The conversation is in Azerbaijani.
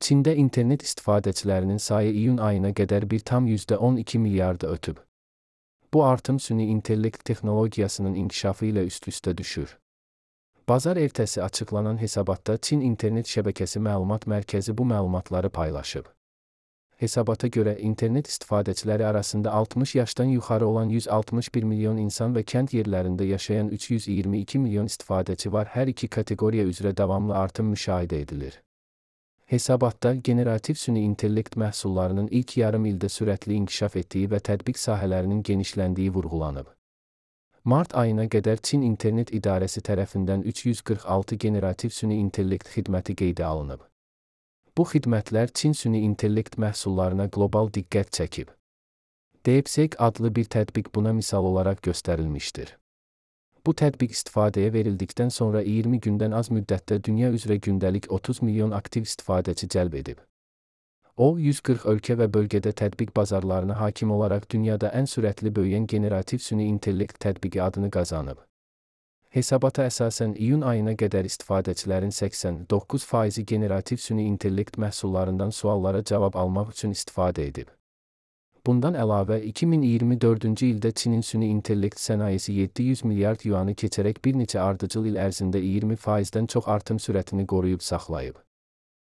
Çində internet istifadəçilərinin sayı iyun ayına qədər 1,12 milyardı ötüb. Bu artım süni intellekt texnologiyasının inkişafı ilə üst-üstə düşür. Bazar ertəsi açıqlanan hesabatda Çin internet şəbəkəsi məlumat mərkəzi bu məlumatları paylaşıb. Hesabata görə internet istifadəçiləri arasında 60 yaşdan yuxarı olan 161 milyon insan və kənd yerlərində yaşayan 322 milyon istifadəçi var. Hər iki kateqoriya üzrə davamlı artım müşahidə edilir. Hesabatda generativ süni intellekt məhsullarının ilk yarım ildə sürətli inkişaf etdiyi və tətbiq sahələrinin genişləndiyi vurğulanıb. Mart ayına qədər Çin İnternet İdarəsi tərəfindən 346 generativ süni intellekt xidməti qeydə alınıb. Bu xidmətlər Çin süni intellekt məhsullarına qlobal diqqət çəkib. DeepSeek adlı bir tətbiq buna misal olaraq göstərilmişdir. Bu tətbiq istifadəyə verildikdən sonra 20 gündən az müddətdə dünya üzrə gündəlik 30 milyon aktiv istifadəçi cəlb edib. O, 140 ölkə və bölgədə tətbiq bazarlarına hakim olaraq dünyada ən sürətli böyüyən generativ süni intellekt tətbiqi adını qazanıb. Hesabata əsasən iyun ayına qədər istifadəçilərin 89%-i generativ süni intellekt məhsullarından suallara cavab almaq üçün istifadə edib. Bundan əlavə, 2024-cü ildə Çinin süni intellekt sənayesi 700 milyard yuanı keçərək bir neçə ardıcıl il ərzində 20%-dən çox artım sürətini qoruyub saxlayıb.